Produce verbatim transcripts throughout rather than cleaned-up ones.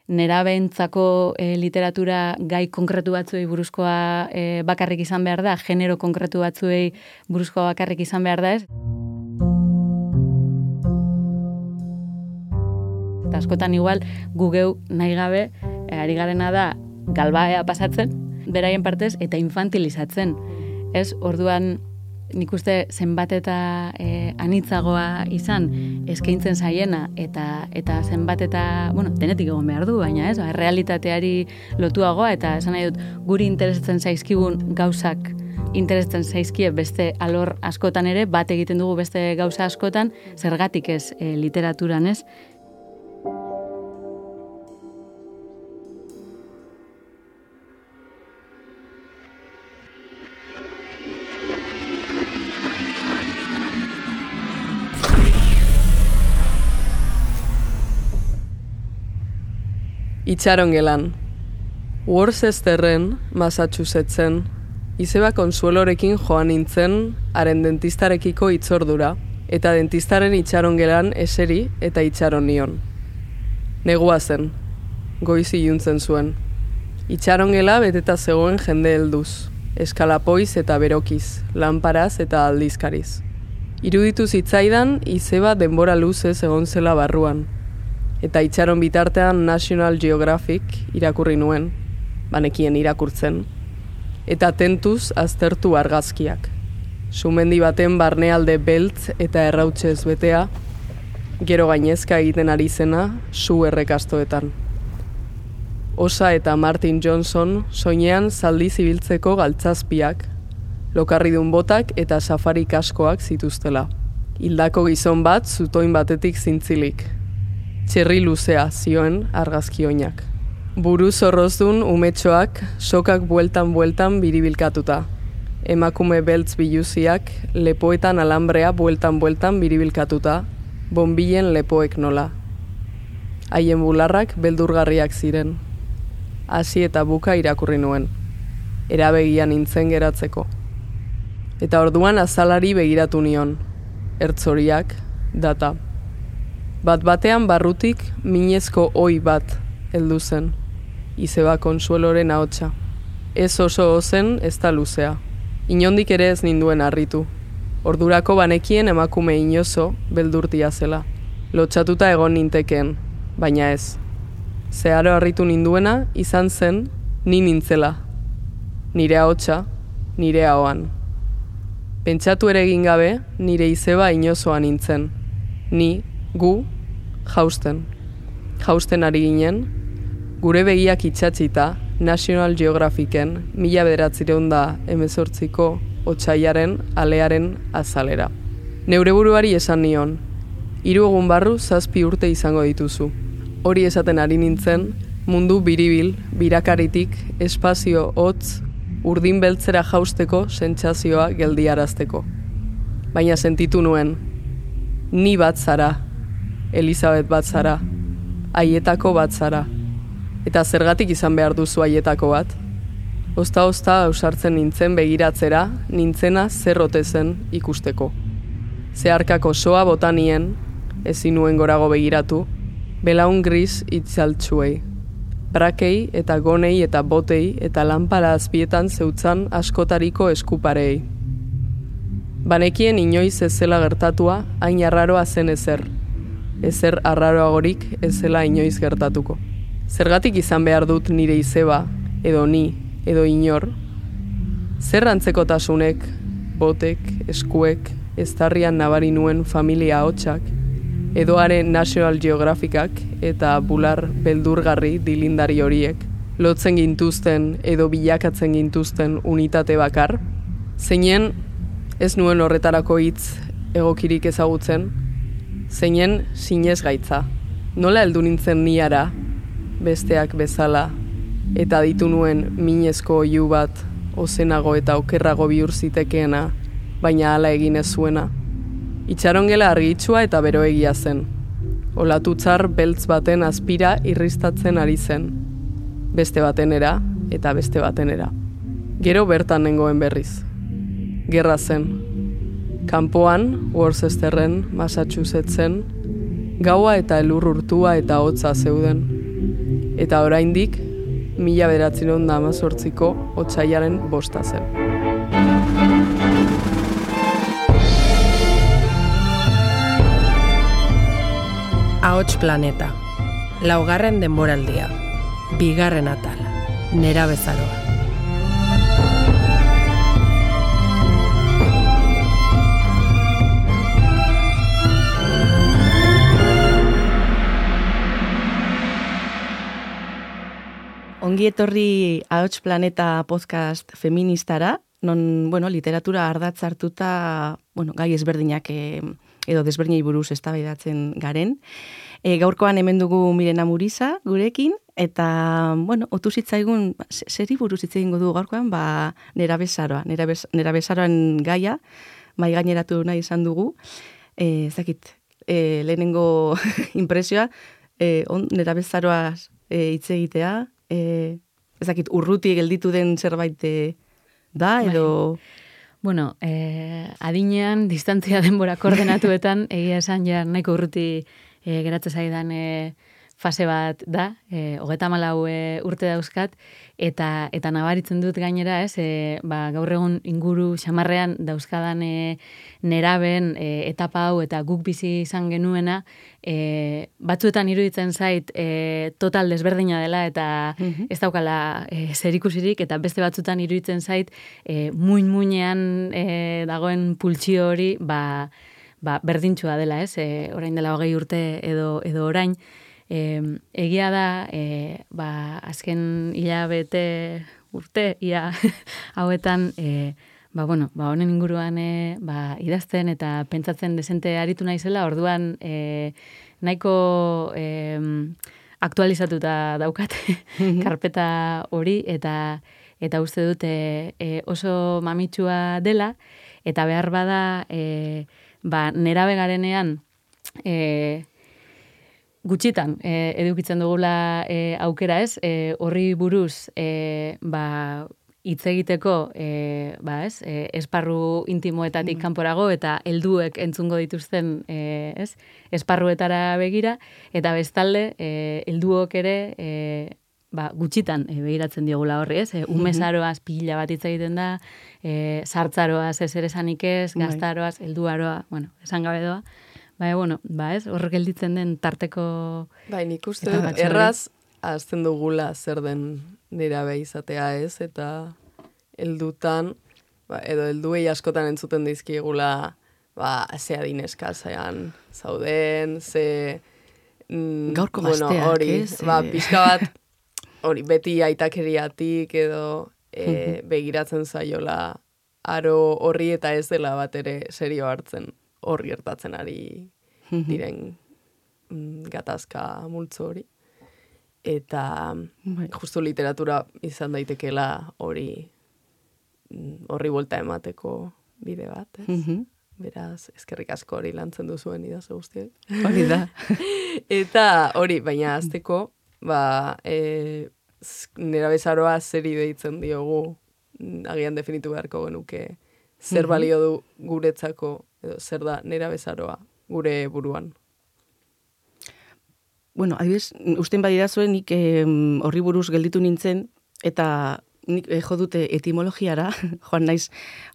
nerabeentzako e, literatura gai konkretu batzuei buruzkoa e, bakarrik izan behar da, genero konkretu batzuei buruzkoa bakarrik izan behar da ez. Eta askotan igual gu geu nahi gabe, e, ari garena da galbaea pasatzen, beraien partez, eta infantilizatzen. Ez, orduan, nik uste zenbat eta e, anitzagoa izan eskaintzen zaiena eta eta zenbat eta, bueno, denetik egon behar du, baina ez, ba, realitateari lotuagoa eta esan nahi dut guri interesatzen zaizkigun gauzak interesatzen zaizkie beste alor askotan ere, bat egiten dugu beste gauza askotan, zergatik ez e, literaturan ez. Itxarongelan. Worcesterren, Massachusettsen, izeba Konsuelorekin joan nintzen haren dentistarekiko itzordura, eta dentistaren itxarongelan eseri eta itxaron nion. Negua zen, goiz iluntzen zuen. Itxarongela beteta zegoen jende helduz, eskalapoiz eta berokiz, lanparaz eta aldizkariz. Iruditu zitzaidan izeba denbora luzez egon zela barruan, eta itxaron bitartean National Geographic irakurri nuen, banekien irakurtzen, eta tentuz aztertu argazkiak. Sumendi baten barnealde beltz eta errautsez betea, gero gainezka egiten ari zena su errekastoetan. Osa eta Martin Johnson soinean zaldi zibiltzeko galtzazpiak, lokarridun botak eta safari kaskoak zituztela. Hildako gizon bat zutoin batetik zintzilik. Txerri luzea zioen argazki oinak. Buru zorrozdun umetxoak sokak bueltan-bueltan biribilkatuta. Emakume beltz biluziak lepoetan alambrea bueltan-bueltan biribilkatuta, bonbilen lepoek nola. Haien bularrak beldurgarriak ziren. Hasi eta buka irakurri nuen. Erabegian nintzen geratzeko. Eta orduan azalari begiratu nion. Ertzoriak, data. Bat batean barrutik minezko oi bat heldu zen, izeba Konsueloren ahotsa. Ez oso ozen ez da luzea. Inondik ere ez ninduen harritu. Ordurako banekien emakume inozo beldurtia zela. Lotxatuta egon nintekeen, baina ez. Zeharo harritu ninduena izan zen ni nintzela. Nire ahotsa, nire ahoan. Pentsatu ere egin gabe nire izeba inozoa nintzen. Ni, gu, jausten. Jausten ari ginen, gure begiak itxatzita National Geographicen mila bederatzireun da hemezortziko otsaiaren alearen azalera. Neure buruari esan nion, hiru egun barru zazpi urte izango dituzu. Hori esaten ari nintzen, mundu biribil, birakaritik, espazio hotz, urdin beltzera jausteko sentsazioa geldiarazteko. Baina sentitu nuen, ni bat zara, Elizabeth bat zara, haietako bat zara. Eta zergatik izan behar duzu haietako bat? Osta-osta ausartzen nintzen begiratzera, nintzena zerrote zen ikusteko. Zeharkako soa botanien, ezin nuen gorago begiratu, belaun gris itzaltsuei. Brakei eta gonei eta botei eta lanpara azpietan zeutzan askotariko eskuparei. Banekien inoiz ez zela gertatua, hain arraroa zen ezer. Ezer arraroagorik ez zela inoiz gertatuko. Zergatik izan behar dut nire izeba, edo ni, edo inor? Zer antzekotasunek, botek, eskuek, eztarrian nabari nuen familia hotxak, edoaren National Geographicak eta bular beldurgarri dilindari horiek, lotzen gintuzten edo bilakatzen gintuzten unitate bakar, zeinen ez nuen horretarako hitz egokirik ezagutzen, zeinen sinez gaitza. Nola heldu nintzen niara, besteak bezala, eta ditu nuen minezko oihu bat, ozenago eta okerrago bihur zitekeena, baina hala egin ez zuena. Itxarongela argitsua eta beroegia zen. Olatutzar beltz baten azpira irristatzen ari zen. Beste batenera eta beste batenera. Gero bertan nengoen berriz. Gerra zen. Kanpoan, Worcesterren, Massachusettsen, gaua eta elur urtua eta hotza zeuden. Eta oraindik, mila bederatziehun eta hamazortziko otsailaren bosta zen. Ahots Planeta, laugarren denboraldia, bigarren atala, nerabezaroa. Ongi etorri Ahots Planeta podcast feministara, non, bueno, literatura ardatz hartuta, bueno, gai ezberdinak eh, edo desberdinei buruz eztabaidatzen garen. E, gaurkoan hemen dugu Mirena Muriza gurekin, eta, bueno, otu zitzaigun, zeri buruz hitz egingo du gaurkoan, ba, nerabezaroa, nerabez, nerabezaroan gaia, mai gaineratu nahi izan dugu. E, ezakit, e, lehenengo impresioa, e, on, nerabezaroa e, hitz egitea, e, ezakit, urruti gelditu den zerbait e, da, edo... Bai. Bueno, eh, adinean, distantzia denbora koordenatuetan, egia esan ja nahiko urruti eh, geratzen zaidan eh, fase bat da, eh, hogeta malau eh, urte dauzkat, eta eta nabaritzen dut gainera, ez, eh, ba, gaur egun inguru xamarrean dauzkadan eh, neraben eh, etapa hau eta guk bizi izan genuena, eh, batzuetan iruditzen zait eh, total desberdina dela eta mm-hmm. ez daukala eh, zerikusirik, eta beste batzuetan iruditzen zait eh, muin-muinean eh, dagoen pultsio hori ba, ba, berdintxua dela, ez, eh, orain dela hogei urte edo, edo orain. E, egia da, e, ba, azken hilabete urte, ia hauetan, e, ba, bueno, ba, honen inguruan e, ba, idazten eta pentsatzen desente aritu naizela, orduan e, nahiko e, aktualizatuta daukat karpeta hori, eta eta uste dut e, e, oso mamitsua dela, eta behar bada, e, ba, nerabe garenean, e, gutxitan e, edukitzen dugula e, aukera, ez, e, horri buruz e, ba, hitz egiteko e, ba, ez, e, esparru intimoetatik mm. kanporago eta helduek entzungo dituzten e, ez, esparruetara begira, eta bestalde e, helduok ere e, ba, gutxitan e, begiratzen diogula horri, ez, e, umezaroaz pila bat hitz egiten da, e, sartzaroaz ez ere esanik ez, gaztaroaz, helduaroa, bueno, esan gabe doa. Bai, bueno, ba ez, horrek gelditzen den tarteko... Bai, nik uste dut, erraz, azten dugula zer den nerabe izatea ez, eta heldutan, ba, edo helduei askotan entzuten dizkigula, ba, ze adineska zaian zauden, ze... Mm, gaurko bueno, gazteak, hori, ez? Ba, pixka bat, hori, beti aitakeriatik edo e, begiratzen zaiola aro horri eta ez dela bat ere serio hartzen. Hor gertatzen ari diren mm, gatazka multzo hori. Eta bai. Justu literatura izan daitekeela hori horri buelta emateko bide bat. Ez? Mm-hmm. Beraz, eskerrik asko hori lantzen duzuen idazu guztiak. Hori da. Eta hori, baina azteko, ba, e, nerabezaroa zeri deitzen diogu, agian definitu beharko genuke, zer balio du guretzako, edo zer da nerabezaroa gure buruan. Bueno, adibidez, usten badira zuen nik eh, horri buruz gelditu nintzen, eta nik eh, jo dute etimologiara, joan naiz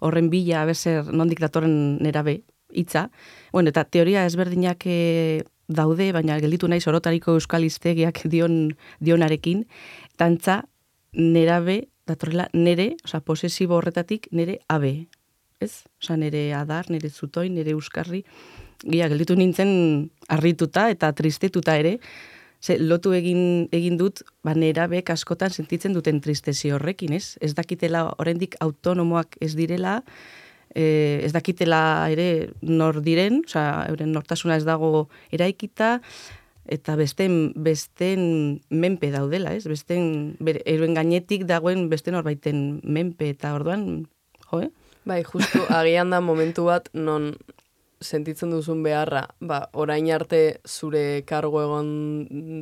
horren bila, abezer nondik datorren nerabe hitza. Bueno, eta teoria ezberdinak eh, daude, baina gelditu naiz orotariko euskal hiztegiak dion, dionarekin, tantza nerabe datorrela nere, osea, posesibo horretatik nere abe. Ez? Osa, nire adar, nire zutoin, nire euskarri, gira, gelditu nintzen harrituta eta tristetuta ere, ze, lotu egin, egin dut, ba, nerabek askotan sentitzen duten tristezi horrekin, ez? Ez dakitela, oraindik autonomoak ez direla, eh, ez dakitela ere nor diren, osa, euren nortasuna ez dago eraikita, eta besten, besten menpe daudela, ez? Besten, euren gainetik dagoen beste norbaiten menpe, eta orduan, jo, eh? Bai, justu, agian da momentu bat non sentitzen duzun beharra, ba, orain arte zure kargo egon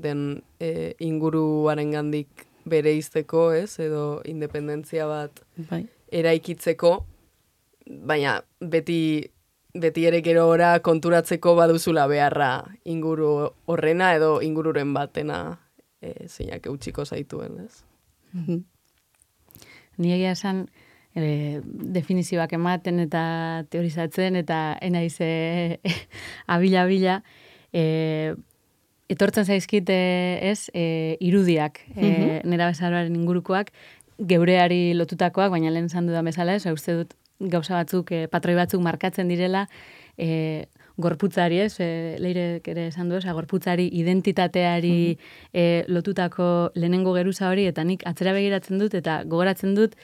den e, inguruaren gandik bereizteko, ez, edo independentzia bat bai. Eraikitzeko, baina beti, beti ere gero ora konturatzeko baduzula beharra inguru horrena edo ingururen batena e, zeinak eutxiko zaituen, ez? Ni egia esan, e, definizioak ematen eta teorizatzen, eta enaiz e, abila-abila, e, etortzen zaizkit ez, e, irudiak, e, nera bezaroaren ingurukoak, geureari lotutakoak, baina lehen esan dudan bezala, ez, uste dut gauza batzuk, e, patroi batzuk markatzen direla, e, gorputzari, ez, e, leirek ere esan du, oza, gorputzari, identitateari e, lotutako lehenengo geruza hori, eta nik atzera begiratzen dut, eta gogoratzen dut,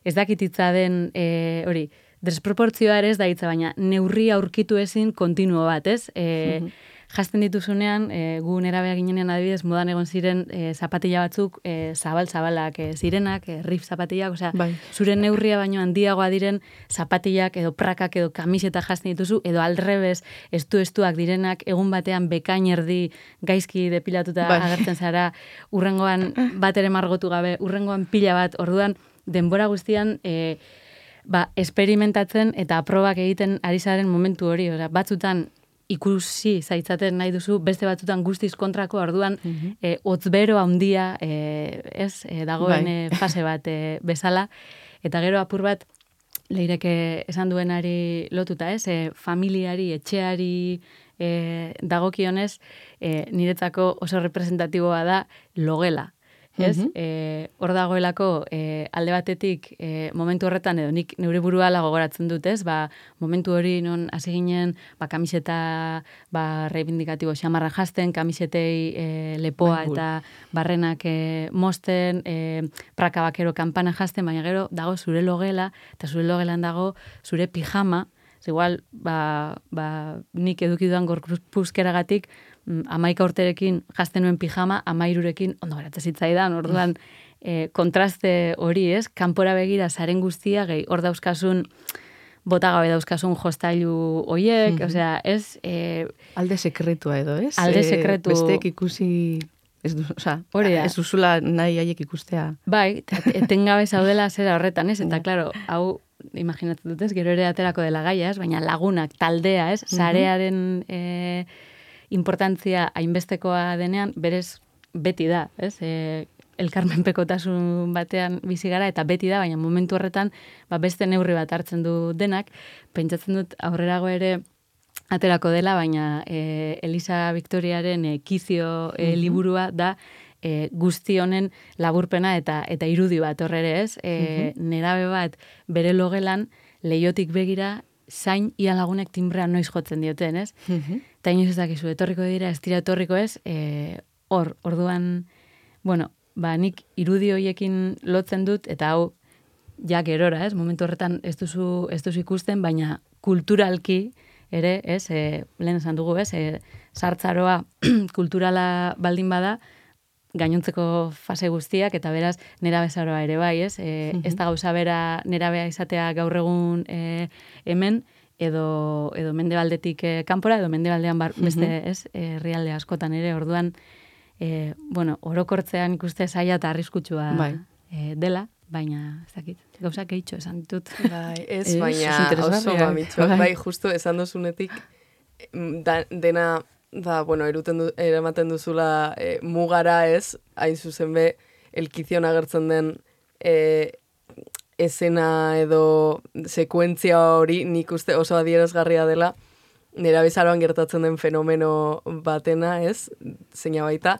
ez dakititza den, e, hori, desproportzioa ere ez da hitza, baina neurri aurkitu ezin kontinuo bat, ez? E, Jazten dituzunean, e, gu nerabea ginenean adibidez, modan egon ziren e, zapatilla batzuk, e, zabal-zabalak e, zirenak, e, riff zapatillak, osea, bai. Zure neurria baino handiagoa diren zapatillak edo prakak edo kamiseta jazten dituzu, edo aldrebez estu-estuak direnak, egun batean bekain erdi gaizki depilatuta bai. agertzen zara, urrengoan bat ere margotu gabe, urrengoan pila bat, orduan, denbora guztian, e, ba, esperimentatzen eta aprobak egiten ari zaren momentu hori, osea, batzutan, ikusi zaitzaten nahi duzu, beste batzutan guztiz kontrako, orduan, mm -hmm. e, otzbero handia, e, ez, e, dagoen bai. e, fase bat e, bezala, eta gero apur bat, leireke esan duenari lotuta, ez, e, familiari, etxeari e, dagokionez, e, niretzako oso representatiboa da logela. Ez? Mm -hmm. e, hor dagoelako e, alde batetik e, momentu horretan edo nik neure burua gogoratzen dut, ez? Ba, momentu hori non hasi ginen ba, kamiseta ba, reivindikatibo xamarra jazten, kamisetei e, lepoa Baibul. eta barrenak e, mosten, e, praka bakero kanpana jazten, baina gero dago zure logela, eta zure logelan dago zure pijama, igual, ba, ba, nik eduki dudan gorpuzkeragatik, amaika urterekin jazten nuen pijama, amairurekin ondo geratzen zitzaidan, orduan e, kontraste hori, ez? Kanpora begira zaren guztia, gehi, hor dauzkasun, bota gabe dauzkasun jostailu hoiek, mm -hmm. osea, ez? E, alde sekretua edo, ez? Alde sekretu. E, besteek ikusi, ez du, osea, ez duzula nahi haiek ikustea. Bai, etengabe zaudela zera horretan, ez? Eta, klaro, hau, imaginatzen dut ez, gero ere aterako dela gaia, ez? Baina lagunak, taldea, ez? Zarearen e, importantzia hainbestekoa denean, berez beti da, ez? E, elkarmenpekotasun batean bizi gara, eta beti da, baina momentu horretan ba, beste neurri bat hartzen du denak, pentsatzen dut aurrerago ere aterako dela, baina e, Elisa Victoriaren e, Kizio e, liburua da e, guzti honen laburpena eta eta irudi bat horre ez, e, nerabe bat bere logelan leiotik begira zain ia lagunek timbrea noiz jotzen dioten, ez? Eta inoiz ez dakizu, etorriko dira, ez dira etorriko ez, e, hor, orduan, bueno, ba, nik irudi hoiekin lotzen dut, eta hau, ja gerora, ez? Momentu horretan ez duzu, ez duzu ikusten, baina kulturalki ere, ez? E, lehen esan dugu, ez? E, sartzaroa kulturala baldin bada, gainontzeko fase guztiak, eta beraz, nera bezaroa ere bai, ez? E, ez da gauza bera nerabea izatea gaur egun e, hemen, edo, edo mendebaldetik e, kanpora, edo mendebaldean bar, beste, ez? Herrialde askotan ere, orduan, e, bueno, orokortzean ikuste zaila eta arriskutsua bai. e, dela, baina, ez dakit, gauza keitxo esan ditut. Bai, ez, baina oso mamitxo. Bai. bai, justu esan dozunetik, da, dena, da, bueno, eruten du, eramaten duzula e, mugara ez, hain zuzen be, elkizion agertzen den e, esena edo sekuentzia hori, nik uste oso adierazgarria dela, nera bezaroan gertatzen den fenomeno batena, ez, zeina baita,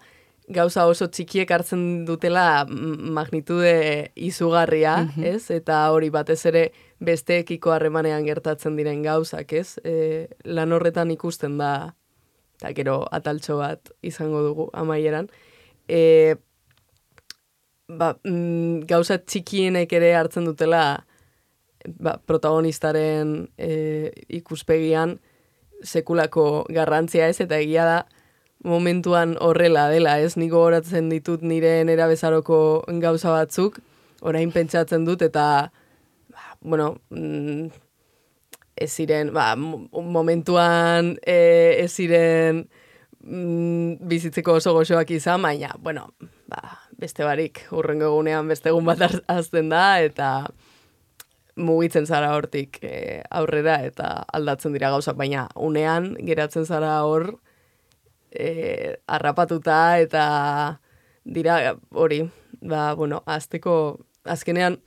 gauza oso txikiek hartzen dutela magnitude izugarria, mm -hmm. ez, eta hori batez ere besteekiko harremanean gertatzen diren gauzak, ez, e, lan horretan ikusten da, eta gero ataltxo bat izango dugu amaieran. E, ba, mm, gauza txikienek ere hartzen dutela ba, protagonistaren e, ikuspegian sekulako garrantzia ez, eta egia da momentuan horrela dela, ez? Niko horatzen ditut nire nera bezaroko gauza batzuk, orain pentsatzen dut, eta ba, bueno, mm, ez ziren, ba, momentuan e, ez ziren mm, bizitzeko oso goxoak izan, baina, bueno, ba, beste barik, urrengo egunean beste egun bat azten da, eta mugitzen zara hortik e, aurrera, eta aldatzen dira gauzak, baina unean geratzen zara hor e, harrapatuta, eta dira hori, ba, bueno, azteko, azkenean,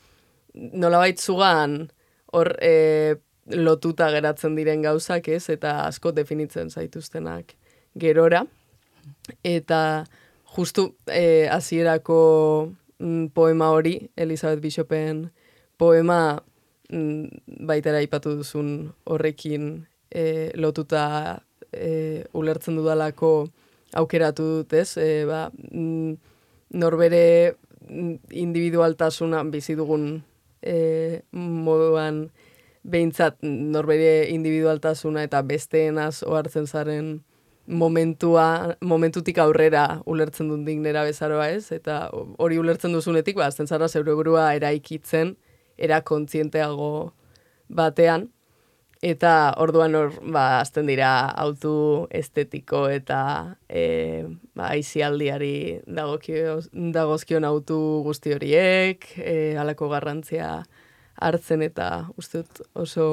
nolabait zugan hor e, lotuta geratzen diren gauzak, ez, eta asko definitzen zaituztenak gerora. Eta justu e, hasierako mm, poema hori, Elizabeth Bishopen poema, mm, baitera aipatu duzun horrekin e, lotuta e, ulertzen dudalako aukeratu dut, ez? E, ba, mm, norbere individualtasuna bizi dugun e, moduan behintzat norbere individualtasuna eta besteenaz ohartzen zaren momentua, momentutik aurrera ulertzen dut nera bezaroa, ez? Eta hori ulertzen duzunetik, ba, azten zara zeure burua eraikitzen, era kontzienteago batean, eta orduan hor, ba, azten dira autu estetiko eta e, ba, aizialdiari dagokio, dagozkion autu guzti horiek, e, halako garrantzia hartzen eta uste dut oso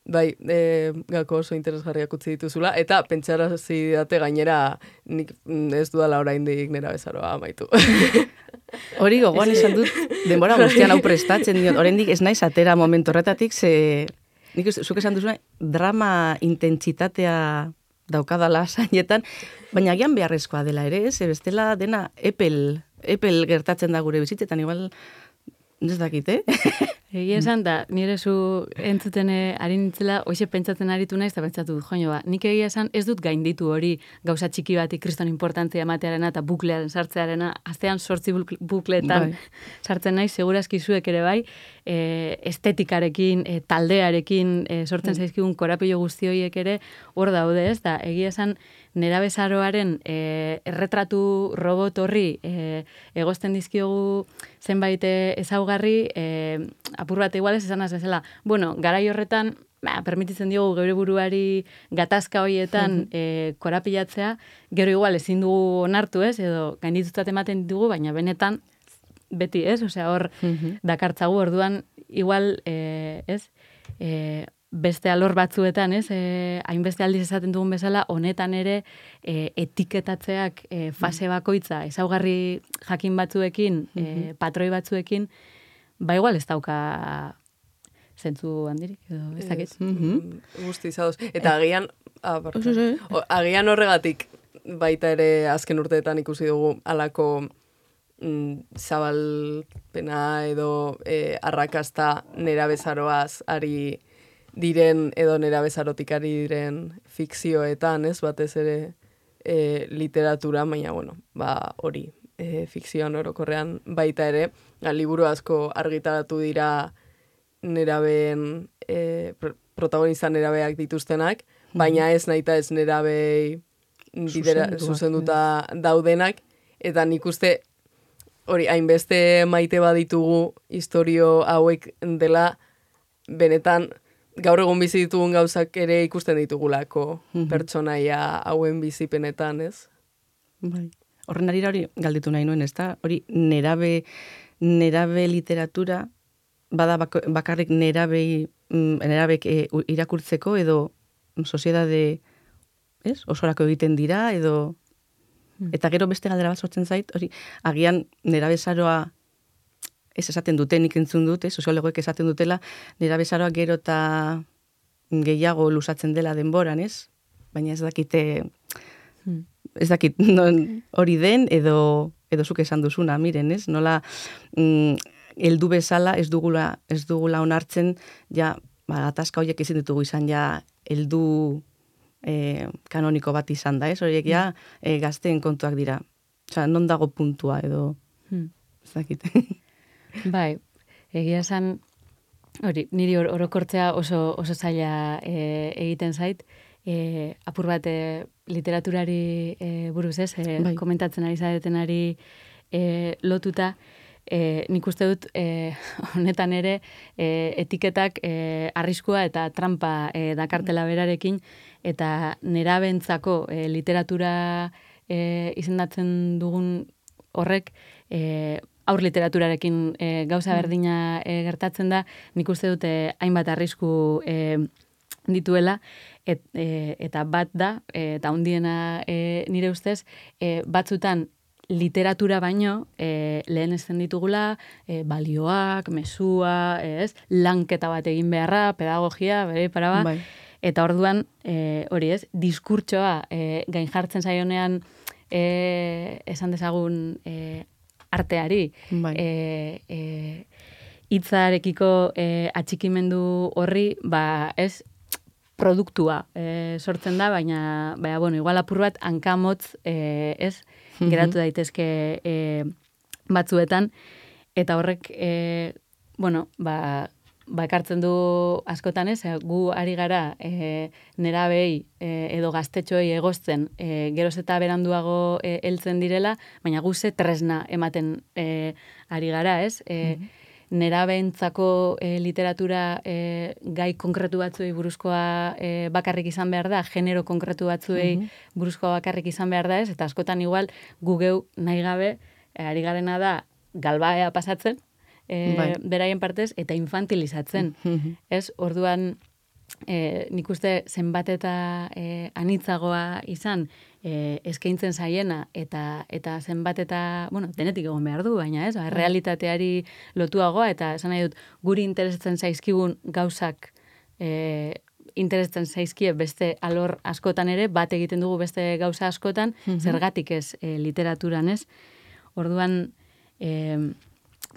bai, e, gako oso interesgarriak utzi dituzula, eta pentsarazi date gainera nik ez dudala oraindik nera bezaroa amaitu. Hori gogoan esan dut, denbora guztian hau prestatzen diot, oraindik ez naiz atera momentu horretatik, ze nik zuk esan duzuna, drama intentsitatea daukadala zainetan, baina agian beharrezkoa dela ere, ez, bestela dena epel, epel gertatzen da gure bizitzetan, igual, ez dakit, eh? Egia esan da, nire zu entzuten ari nintzela, hoxe pentsatzen aritu naiz, eta pentsatu dut, joño ba, nik egia esan ez dut gainditu hori gauza txiki bati kriston importantzia ematearena eta buklearen sartzearena, astean sortzi bukleetan bai. Sartzen naiz, segurazki zuek ere bai, e, estetikarekin, e, taldearekin, e, sortzen mm. zaizkigun korapilo guzti horiek ere, hor daude ez, da, egia esan, nerabezaroaren e, erretratu robot horri e, egozten dizkiogu zenbait ezaugarri, e, apur bat igual ez esan azela, bueno, garai horretan, ba, permititzen diogu geure buruari gatazka horietan e, korapilatzea, gero igual ezin dugu onartu ez, edo gainditutat ematen dugu, baina benetan beti ez, osea hor dakartzagu orduan, igual, e, ez, e, beste alor batzuetan, ez, e, hainbeste aldiz esaten dugun bezala, honetan ere e, etiketatzeak e, fase bakoitza, ezaugarri jakin batzuekin, e, patroi batzuekin, ba igual ez dauka zentzu handirik, edo ez dakit. Guzti izadoz. Eta agian, ah, agian horregatik baita ere azken urteetan ikusi dugu alako mm, zabalpena edo e, arrakasta nera bezaroaz ari diren edo nera bezarotik ari diren fikzioetan, ez, batez ere e, literatura, baina, bueno, ba, hori, e, fikzioan orokorrean baita ere, a, liburu asko argitaratu dira nerabeen, e, pr protagonista nerabeak dituztenak, baina ez nahita ez nerabei bidera, zuzenduta daudenak, eta nik uste hori, hainbeste maite baditugu historio hauek dela, benetan, gaur egun bizi ditugun gauzak ere ikusten ditugulako mm-hmm. pertsonaia hauen bizipenetan, ez? Bai. Horren arira hori galditu nahi nuen, ez da? Hori nerabe, nerabe literatura, bada bakarrik nerabei, nerabek e, irakurtzeko edo soziedade, ez? Osorako egiten dira, edo... Mm. Eta gero beste galdera bat sortzen zait, hori, agian nerabezaroa ez esaten dute, nik entzun dute, soziologoek esaten dutela, nerabezaroa gero eta gehiago lusatzen dela denboran, ez? Baina ez dakite, hmm. ez dakit non hori den, edo, edo zuk esan duzuna, miren, ez? Nola, mm, heldu bezala ez dugula, ez dugula onartzen, ja, ba, atazka horiek ezin ditugu izan, ja, heldu e, kanoniko bat izan da, ez? Horiek ja, e, gazteen kontuak dira. Osa, non dago puntua, edo, hmm. ez dakit. Bai, egia esan, hori, niri or, orokortzea oso, oso zaila e, egiten zait, e, apur bat e, literaturari e, buruz ez, e, bai. Komentatzen ari zaretenari e, lotuta, e, nik uste dut e, honetan ere e, etiketak e, arriskua eta trampa e, dakartela berarekin, eta nerabentzako e, literatura e, izendatzen dugun horrek, e, aur literaturarekin e, gauza berdina e, gertatzen da, nik uste dute hainbat arrisku e, dituela, et, e, eta bat da, e, eta hundiena e, nire ustez, e, batzutan literatura baino e, lehen esten ditugula e, balioak, mesua, ez, lanketa bat egin beharra, pedagogia, bere paraba, bai. Eta orduan, e, hori ez, diskurtsoa e, gain jartzen zaionean e, esan dezagun e, arteari, bai. e, e, hitzarekiko e, atxikimendu horri, ba, ez, produktua e, sortzen da, baina, baina, bueno, igual apur bat hankamotz, e, ez, geratu daitezke e, batzuetan, eta horrek, e, bueno, ba, ba ekartzen du askotan ez, gu ari gara e, nerabei e, edo gaztetxoei egozten, e, geroz eta beranduago e, heltzen direla, baina gu ze tresna ematen e, ari gara, ez? E, mm-hmm. Nerabeentzako e, literatura e, gai konkretu batzuei buruzkoa e, bakarrik izan behar da, genero konkretu batzuei mm-hmm. buruzkoa bakarrik izan behar da ez, eta askotan igual gu geu nahi gabe e, ari garena da galbaea pasatzen, e, bai. Beraien partez, eta infantilizatzen. Mm-hmm. Ez, orduan e, nik uste zenbat eta e, anitzagoa izan, E, eskaintzen zaiena eta eta zenbat eta, bueno, denetik egon behar du, baina ez, ba, realitateari lotuagoa, eta esan nahi dut, guri interesatzen zaizkigun gauzak e, interesatzen zaizkie beste alor askotan ere, bat egiten dugu beste gauza askotan, mm-hmm. zergatik ez e, literaturan ez. Orduan, e,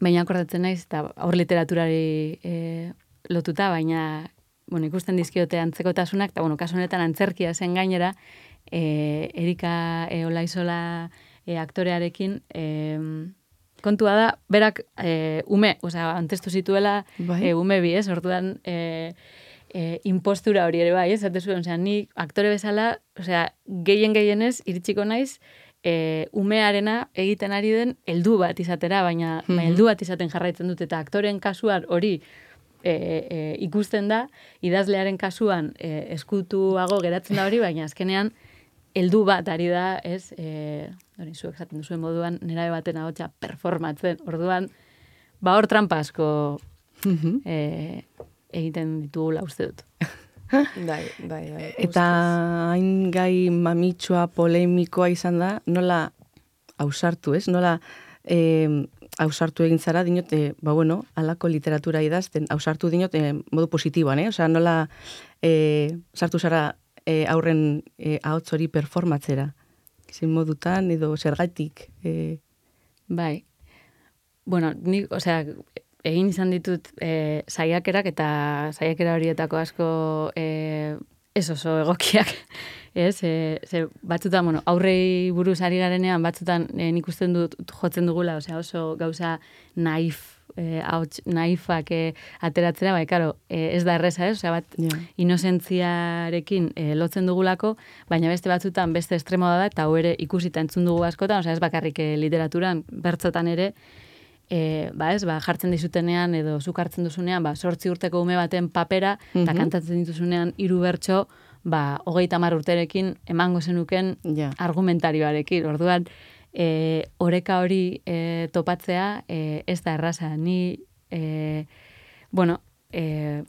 baina akordatzen naiz, eta hor literaturari e, lotuta, baina, bueno, ikusten dizkiote antzekotasunak, eta, bueno, kasu honetan antzerkia zen gainera, E, Erika e, Olaizola e, aktorearekin e, kontua da, berak e, ume, osea, antestu zituela bai. e, ume bi, ez, orduan e, e, impostura hori ere bai, ez, zate zuen, osea, ni aktore bezala, osea, gehien gehienez, iritsiko naiz, e, umearena egiten ari den heldu bat izatera, baina mm-hmm. baina heldu bat izaten jarraitzen dut, eta aktoren kasuan hori E, e, ikusten da, idazlearen kasuan e, eskutuago geratzen da hori, baina azkenean heldu bat ari da, ez, e, hori zuek esaten duzuen moduan, nerabe baten ahotsa performatzen, orduan, ba hor trampa asko e, egiten ditugula uste dut. Bai, bai, bai. Eta hain gai mamitsua, polemikoa izan da, nola ausartu, ez? Nola e, ausartu egin zara, dinot, e, ba bueno, alako literatura idazten, ausartu dinot, e, modu positiboan, eh? Osa, nola e, sartu zara e, aurren e, ahots hori performatzera? Zin modutan, edo zergatik? E... Bai. Bueno, ni, osea, egin izan ditut e, saiakerak, eta saiakera horietako asko e, ez oso egokiak. Ez, e, ze batzutan, bueno, aurrei buruz ari garenean, batzutan e, nik usten dut jotzen dugula, osea, oso gauza naif, e, hauts, naifak e, ateratzera, bai, karo, e, ez da erreza, ez? Osea, bat yeah. inozentziarekin e, lotzen dugulako, baina beste batzutan beste estremoa da, eta hau ere ikusita entzun dugu askotan, osea, ez bakarrik e, literaturan, bertzotan ere, e, ba ez, ba, jartzen dizutenean, edo zuk hartzen duzunean, ba, sortzi urteko ume baten papera, eta mm-hmm. kantatzen dituzunean hiru bertso, ba, hogeita hamar urterekin emango zenuken yeah. argumentarioarekin. Orduan, e, oreka hori e, topatzea e, ez da erraza. Ni, e, bueno, e,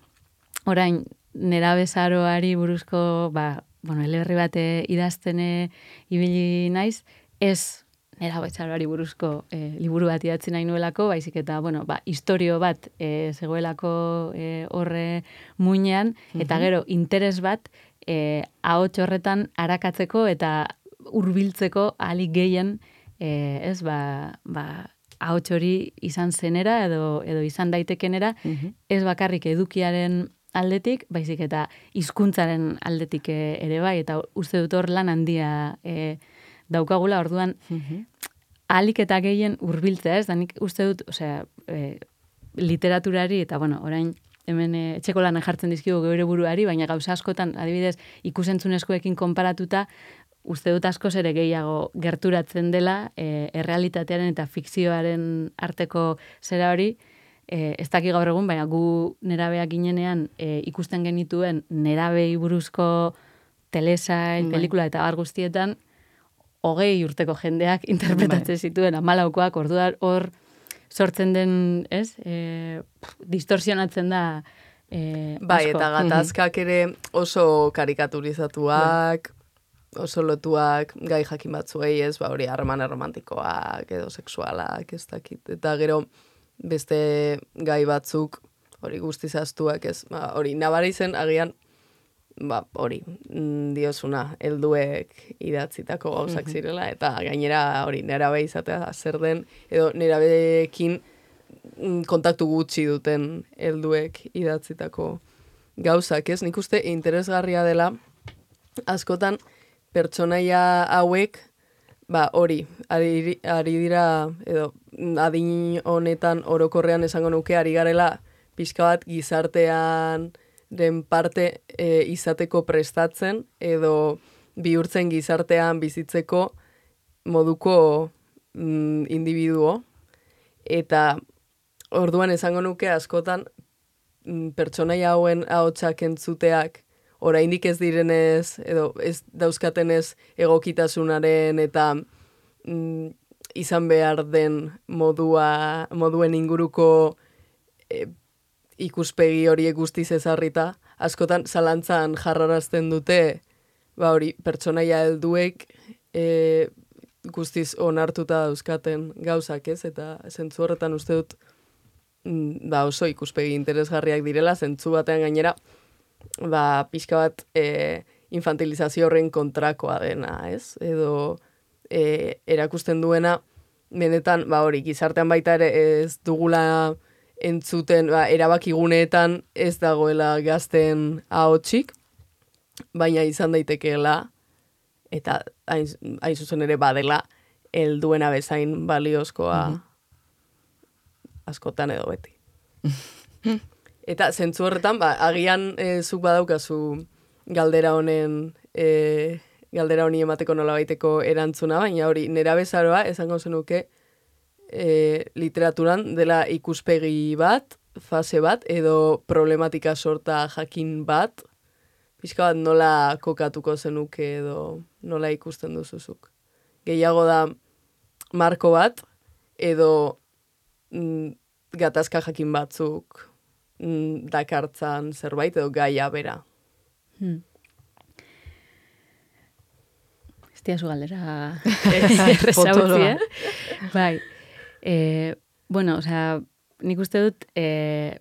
orain, nerabezaroari buruzko, ba, bueno, eleberri bate idaztene ibili naiz, ez nerabezaroari buruzko e, liburu bat idatzi nahi nuelako, baizik eta, bueno, ba, historio bat e, zegoelako e, horre muinean, mm-hmm. eta gero, interes bat, E, ahots horretan arakatzeko eta hurbiltzeko ahalik gehien e, ez ba, ba ahots hori izan zenera edo edo izan daitekenera mm-hmm. ez bakarrik edukiaren aldetik, baizik eta hizkuntzaren aldetik ere bai, eta uste dut hor lan handia e, daukagula, orduan mm-hmm. ahalik eta gehien hurbiltzea, ez da nik uste dut, osea, e, literaturari eta bueno, orain hemen e, etxeko lanak jartzen dizkigu geure buruari, baina gauza askotan, adibidez, ikusentzunezkoekin konparatuta, uste dut askoz ere gehiago gerturatzen dela, e, errealitatearen eta fikzioaren arteko zera hori, e, ez daki gaur egun, baina gu nerabeak ginenean e, ikusten genituen nerabei buruzko telesail, pelikula eta bar guztietan, hogei urteko jendeak interpretatzen zituen amalaukoak, orduan hor, sortzen den, ez, e, distorsionatzen da e, bai, asko. Eta gatazkak ere oso karikaturizatuak, oso lotuak gai jakin batzuei, ez, ba, hori harreman romantikoak edo sexualak, ez dakit. Eta gero beste gai batzuk, hori guztiz astuak, ez, ba, hori nabari zen agian, ba, hori, diosuna, helduek idatzitako gauzak zirela, eta gainera hori nerabe izatea zer den, edo nerabeekin kontaktu gutxi duten helduek idatzitako gauzak, ez? Nik uste interesgarria dela, askotan pertsonaia hauek, ba, hori, ari, ari dira, edo adin honetan orokorrean esango nuke, ari garela pixka bat gizartean den parte e, izateko prestatzen, edo bihurtzen gizartean bizitzeko moduko mm, individuo, eta orduan esango nuke askotan mm, pertsonaia hauen ahotsak entzuteak oraindik ez direnez, edo ez dauzkatenez egokitasunaren eta mm, izan behar den modua, moduen inguruko e, ikuspegi horiek guztiz ezarrita, askotan zalantzan jarrarazten dute, ba hori, pertsonaia helduek e, guztiz onartuta dauzkaten gauzak, ez? Eta zentzu horretan uste dut ba oso ikuspegi interesgarriak direla, zentzu batean gainera, ba pixka bat e, infantilizazio horren kontrakoa dena, ez? Edo e, erakusten duena, benetan, ba hori, gizartean baita ere ez dugula entzuten, ba, erabakiguneetan ez dagoela gazten ahotsik, baina izan daitekeela, eta hain, hain zuzen ere badela, helduena bezain baliozkoa mm-hmm. askotan edo beti. Eta zentzu horretan, ba, agian e, zuk badaukazu galdera honen, e, galdera honi emateko nola baiteko erantzuna, baina hori, nera bezaroa, esango zenuke, e, literaturan dela ikuspegi bat, fase bat, edo problematika sorta jakin bat, pixka bat nola kokatuko zenuke edo nola ikusten duzuzuk. Gehiago da marko bat, edo mm, gatazka jakin batzuk mm, dakartzan zerbait, edo gaia bera. Hmm. Ez diazu galdera errezautzi, eh? Bai. Eh, bueno, osea, nik uste dut eh,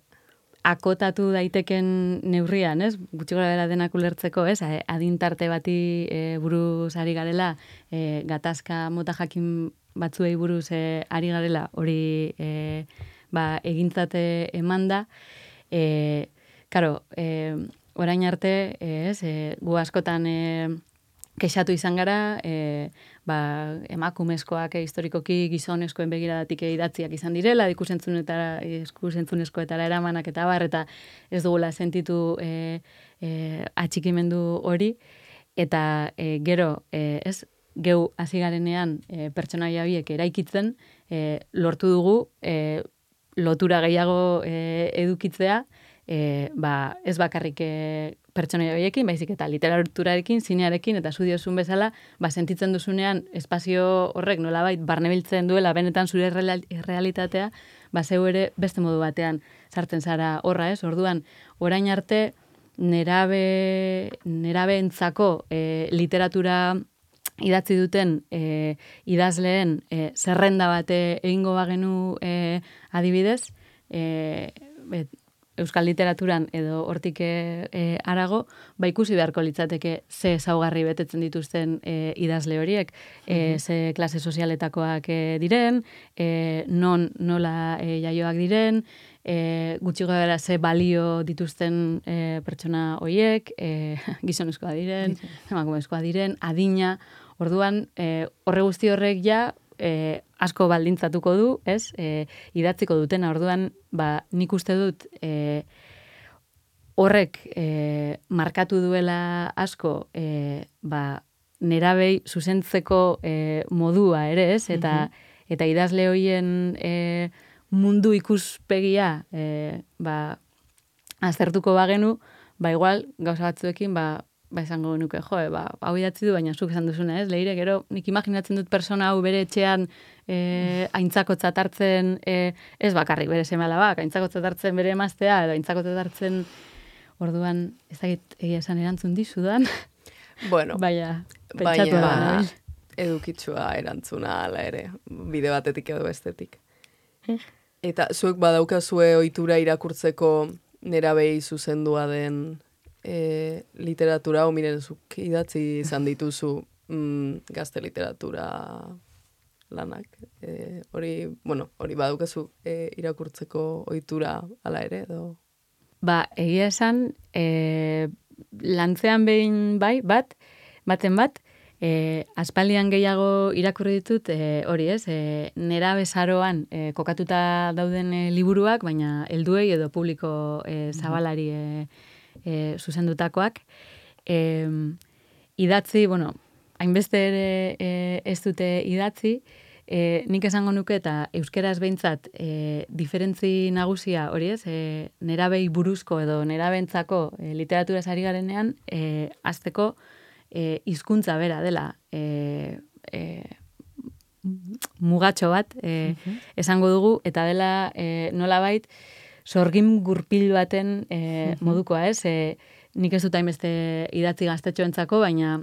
akotatu daiteken neurrian, ez? Gutxi gora bera denak ulertzeko, ez? Adintarte bati e, buruz ari garela, e, gatazka mota jakin batzuei buruz e, ari garela, hori e, ba, egintzate eman da. E, karo, e, orain arte, ez? E, gu askotan e, kexatu izan gara, e, ba, emakumezkoak e, historikoki gizonezkoen begiradatik idatziak izan direla, ikusentzunezkoetara eramanak eta bar, eta ez dugula sentitu e, e, atxikimendu hori, eta e, gero, e, ez, geu hasi garenean e, pertsonaia horiek eraikitzen, e, lortu dugu e, lotura gehiago e, edukitzea, e, ba, ez bakarrik e, pertsonaia horiekin, baizik eta literaturarekin, zinearekin, eta zu diozun bezala, ba, sentitzen duzunean espazio horrek nolabait barnebiltzen duela benetan zure realitatea, ba, zeu ere beste modu batean sartzen zara horra, ez? Orduan, orain arte, nerabe, nerabeentzako e, literatura idatzi duten e, idazleen e, zerrenda bate egingo bagenu e, adibidez, e, bet, euskal literaturan edo hortik e, arago, ba ikusi beharko litzateke ze ezaugarri betetzen dituzten e, idazle horiek, e, ze klase sozialetakoak e, diren, e, non nola e, jaioak diren, e, gutxi gara ze balio dituzten e, pertsona horiek, e, gizonezkoa diren, emakumezkoa diren, adina, orduan e, horre guzti horrek ja, E, asko baldintzatuko du, ez? E, idatziko dutena, orduan, ba, nik uste dut e, horrek e, markatu duela asko e, ba, nerabei zuzentzeko e, modua ere, ez? Eta, mm-hmm. eta idazle horien e, mundu ikuspegia e, ba, aztertuko bagenu, ba, igual, gauza batzuekin, ba, ba, esango nuke, jo, ba, hau idatzi du, baina zuk esan duzuna, ez? Leire, gero, nik imaginatzen dut persona hau bere etxean e, aintzakotzat hartzen, e, ez bakarrik bere seme alabak, aintzakotzat hartzen bere emaztea, edo aintzakotzat hartzen, orduan, ez dakit egia esan erantzun dizudan. Bueno, Baina, pentsatu baina da. edukitsua erantzuna ala ere, bide batetik edo bestetik. Eta zuek badaukazue ohitura irakurtzeko nerabei zuzendua den e, literatura, o miren, zuk idatzi izan dituzu mm, gazte literatura lanak. E, hori, bueno, hori badaukazu e, irakurtzeko ohitura ala ere, edo? Ba, egia esan, e, lantzean behin bai, bat, baten bat, e, aspaldian gehiago irakurri ditut, e, hori ez, e, nera bezaroan e, kokatuta dauden e, liburuak, baina helduei edo publiko e, zabalari e, e, zuzendutakoak. E, idatzi, bueno, hainbeste ere e, ez dute idatzi, E, nik esango nuke eta euskeraz behintzat e, diferentzi nagusia hori ez, e, nerabei buruzko edo nerabentzako e, literaturaz ari garenean, e, azteko e, hizkuntza bera dela e, e, mugatxo bat e, uh-huh. esango dugu, eta dela e, nolabait sorgin gurpil baten e, uh-huh. modukoa ez, e, nik ez dut hainbeste idatzi gaztetxoentzako, baina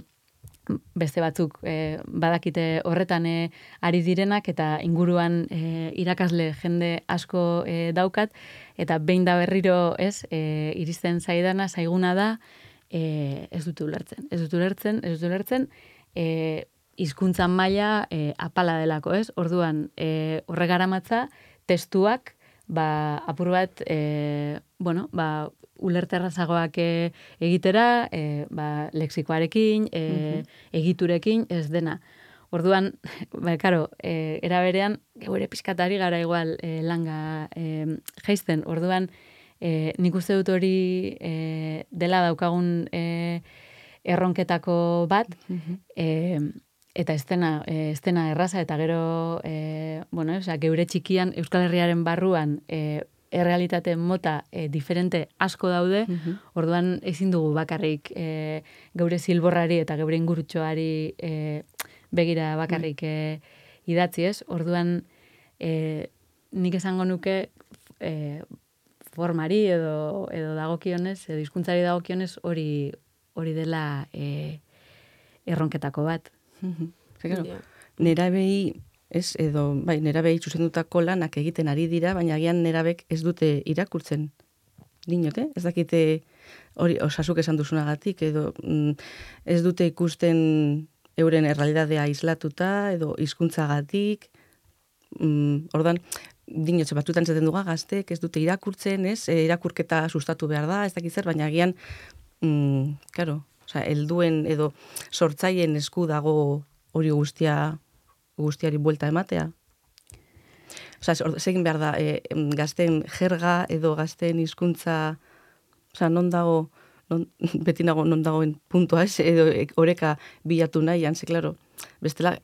beste batzuk e, badakite horretan e, ari direnak eta inguruan e, irakasle jende asko e, daukat, eta behin da berriro ez, e, iristen zaidana, zaiguna da, e, ez dut ulertzen. Ez dut ulertzen, ez dut ulertzen, e, hizkuntzan maila e, apala delako, ez? Orduan, e, horregaramatza testuak, ba, apur bat, e, bueno, ba, ulerterrazagoak e, egitera, e, ba, lexikoarekin, e, uh-huh. egiturekin, ez dena. Orduan, ba, karo, e, era berean, geure pizkatari gara igual e, langa e, jaisten. Orduan, e, nik uste dut hori e, dela daukagun e, erronketako bat, uh-huh. e, eta ez dena, e, ez dena erraza, eta gero, e, bueno, o sea, geure txikian, Euskal Herriaren barruan, e, errealitate mota e, diferente asko daude, uh-huh. orduan ezin dugu bakarrik e, geure zilborrari eta geure ingurutxoari e, begira bakarrik e, idatzi ez. Orduan e, nik esango nuke e, formari edo, edo dagokionez, edo hizkuntzari dagokionez hori hori dela e, erronketako bat. Uh-huh. Yeah. Nerabei ez, edo, bai, nerabei zuzendutako lanak egiten ari dira, baina agian nerabek ez dute irakurtzen. Dinok, eh? Ez dakite hori osasuk esan duzunagatik, edo mm, ez dute ikusten euren errealidadea islatuta, edo hizkuntzagatik. Mm, ordan, dinotxe batutan zaten duga gaztek, ez dute irakurtzen, ez? E, irakurketa sustatu behar da, ez dakit zer, baina agian, mm, karo, osea, helduen edo sortzaien esku dago hori guztia guztiari buelta ematea. Osea, segin behar da, e, gazten jerga edo gazten hizkuntza, osea, non dago, non, beti nago non dagoen puntua ez, edo oreka bilatu nahian, ze, klaro, bestela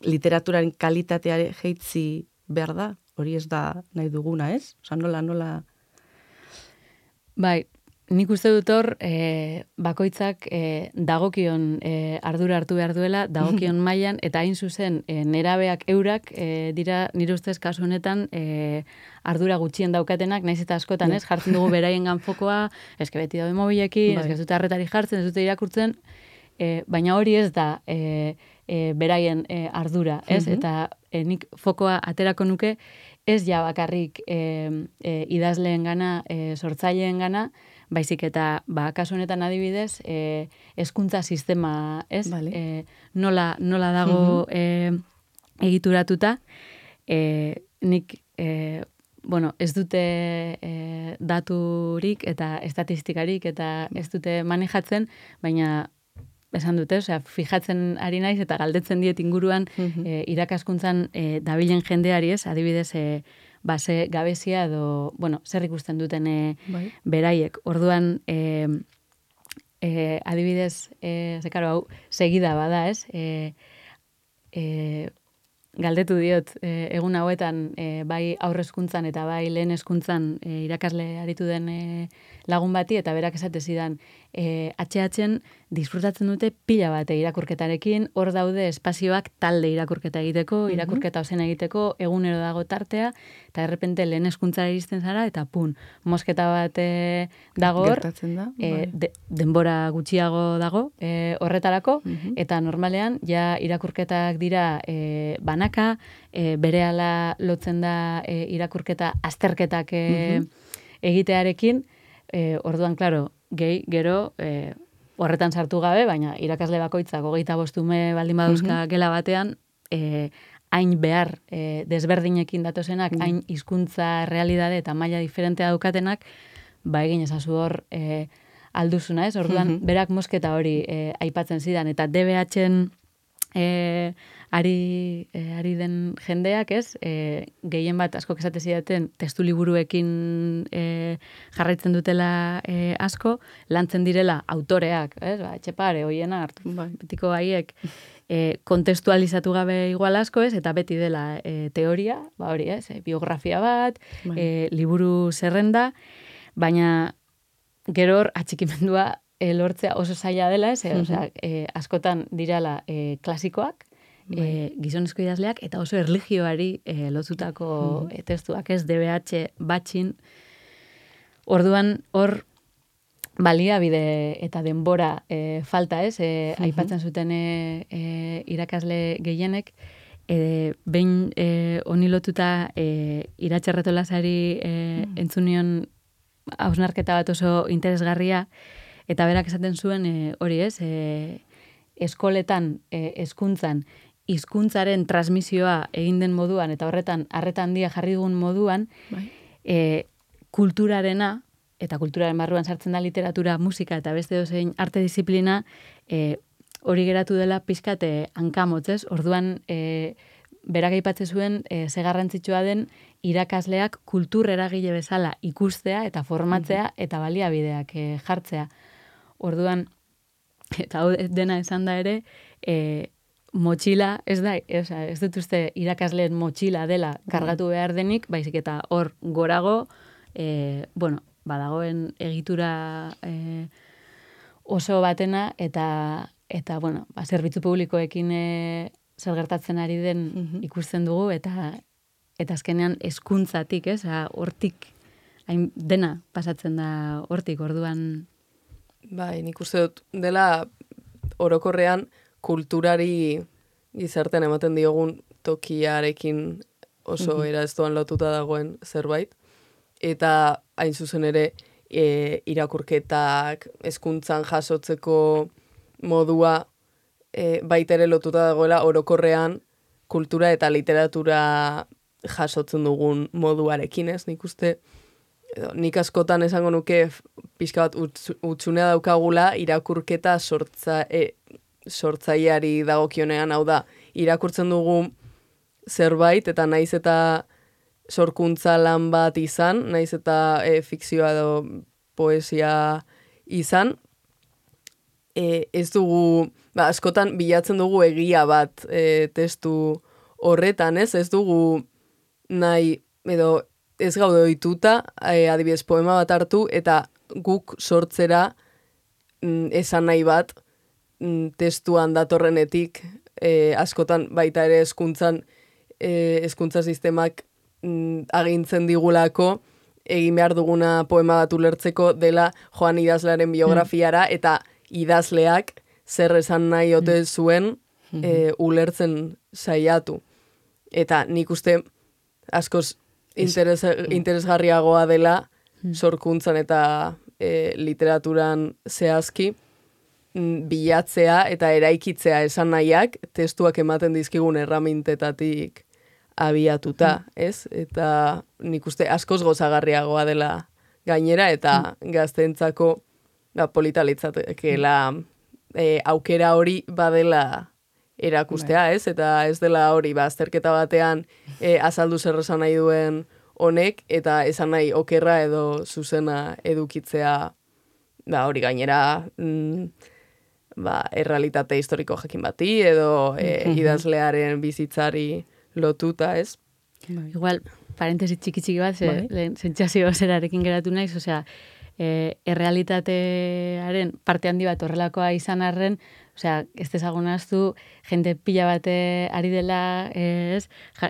literaturaren kalitateare jeitzi behar da, hori ez da nahi duguna, ez? Osea, nola, nola... Bai, nik uste dut hor, e, bakoitzak e, dagokion e, ardura hartu behar duela, dagokion mailan, eta hain zuzen, e, nerabeak eurak, e, dira, nire ustez kasu honetan, e, ardura gutxien daukatenak, naiz eta askotan, ez, jartzen dugu beraien ganfokoa, eske beti daude mobilekin, bai. Ez dute arretari jartzen, ez dute irakurtzen, e, baina hori ez da e, e, beraien e, ardura, ez, uh-huh. eta e, nik fokoa aterako nuke, ez ja bakarrik e, e, idazleen gana, e, sortzaileen gana, baizik eta, ba, kasu honetan adibidez, e, hezkuntza sistema, ez? Vale. E, nola, nola dago uh-huh. e, egituratuta, e, nik, e, bueno, ez dute e, daturik eta estatistikarik eta ez dute manejatzen, baina esan dute, osea, fijatzen ari naiz eta galdetzen diet inguruan uh-huh. e, irakaskuntzan e, dabilen jendeari, ez? Adibidez, e, ba, ze gabezia edo, bueno, zer ikusten duten e, bai. Beraiek. Orduan, e, e, adibidez, e, ze karo, hau, segida bada, ez? E, e, galdetu diot, e, egun hauetan, e, bai aurrezkuntzan eta bai lehen hezkuntzan e, irakasle aritu den e, lagun bati, eta berak esate zidan, e, H H-en disfrutatzen dute pila bate irakurketarekin, hor daude espazioak talde irakurketa egiteko, Mhm. irakurketa ozen egiteko, egunero dago tartea, eta errepente lehen hezkuntzara iristen zara, eta pun, mosketa bat e, dago hor, Gertatzen da. e, bai. de, denbora gutxiago dago e, horretarako, Mhm. eta normalean ja irakurketak dira e, banaka, e, berehala lotzen da e, irakurketa azterketak e, Mhm. egitearekin, e, orduan, klaro, gehi, gero, e, horretan sartu gabe, baina irakasle bakoitzak hogeita bostume baldin baduzka gela batean, e, hain behar e, desberdinekin datozenak, Mhm. hain hizkuntza realitate eta maila diferentea daukatenak, ba egin ezazu hor e, alduzuna, ez? Orduan, Mhm. berak mosketa hori e, aipatzen zidan, eta D B H-en e, ari, e, ari den jendeak, ez? E, gehien bat asko esate zidaten testu liburuekin e, jarraitzen dutela e, asko, lantzen direla autoreak, ez? Ba, Etxepare, Oiena, hartu, Bai. betiko haiek, e, kontestualizatu gabe igual asko, ez? Eta beti dela e, teoria, ba hori, ez? E, biografia bat, Bai. e, liburu zerrenda, baina gero hor atxikimendua e, lortzea oso zaila dela, ez? E, osea, e, askotan dirala e, klasikoak, e, gizonezko idazleak, eta oso erlijioari e, lotutako e, testuak, ez? D B H batxin. Orduan, hor baliabide eta denbora e, falta, ez? E, aipatzen zuten e, e, irakasle gehienek, e, behin e, honi lotuta e, Iratxerreto Lazari e, entzunion hausnarketa bat oso interesgarria, eta berak esaten zuen e, hori, ez? E, eskoletan, e, hezkuntzan, hizkuntzaren transmisioa egin den moduan, eta horretan harreta handia jarri dugun moduan, Bai. e, kulturarena, eta kulturaren barruan sartzen da literatura, musika eta beste dozein arte disiplina, e, hori geratu dela pizkate hankamotz, ez? Orduan, e, berak aipatzen zuen, e, ze garrantzitsua den irakasleak kultur eragile bezala ikustea eta formatzea eta baliabideak e, jartzea. Orduan, eta hau dena esan da ere, e, motxila, ez da, e, osea, ez dut uste irakasleen motxila dela kargatu behar denik, baizik eta hor gorago, e, bueno, badagoen egitura e, oso batena, eta, eta bueno, ba, zerbitzu publikoekin e, zer gertatzen ari den Mhm. ikusten dugu, eta eta azkenean hezkuntzatik, ez, hortik, hain dena pasatzen da hortik, orduan. Bai, nik uste dut dela orokorrean kulturari gizartean ematen diogun tokiarekin oso era ez doan lotuta dagoen zerbait. Eta hain zuzen ere e, irakurketak, hezkuntzan jasotzeko modua e, baita ere lotuta dagoela orokorrean kultura eta literatura jasotzen dugun moduarekin, ez? Nik uste, edo, nik askotan esango nuke pixka bat utz, utxunea daukagula irakurketa sortza, e, sortzaileari dagokionean, hau da, irakurtzen dugu zerbait eta naiz eta sorkuntza lan bat izan, naiz eta e, fikzioa edo poesia izan, e, ez dugu, ba, askotan bilatzen dugu egia bat e, testu horretan, ez? Ez dugu nahi, edo ez gaude ohituta, e, adibidez poema bat hartu, eta guk sortzera mm, esan nahi bat mm, testuan datorrenetik, e, askotan baita ere hezkuntzan, e, hezkuntza sistemak mm, agintzen digulako, egin behar duguna poema bat ulertzeko dela Joan idazlearen biografiara, eta idazleak zer esan nahi ote zuen e, ulertzen saiatu. Eta nik uste askoz interes, interesgarriagoa dela sorkuntzan eta e, literaturan zehazki mm, bilatzea eta eraikitzea esan nahiak testuak ematen dizkigun erramintetatik abiatuta, ez? Eta nik uste askoz gozagarriagoa dela gainera, eta gazteentzako ba, polita litzatekeela e, aukera hori badela erakustea, ez? Eta ez dela hori, ba, azterketa batean e, azaldu zer esan nahi duen honek, eta esan nahi okerra edo zuzena edukitzea, ba, hori gainera mm, ba, errealitate historiko jakin bati, edo e, idazlearen bizitzari lotuta, ez? Bai. Igual, parentesi txiki txiki bat, ze, Bai. lehen sentsazio zerarekin geratu naiz, osea, e, errealitatearen parte handi bat horrelakoa izan arren, osea, ez dezagun ahaztu, jende pila bate ari dela, ez, ja,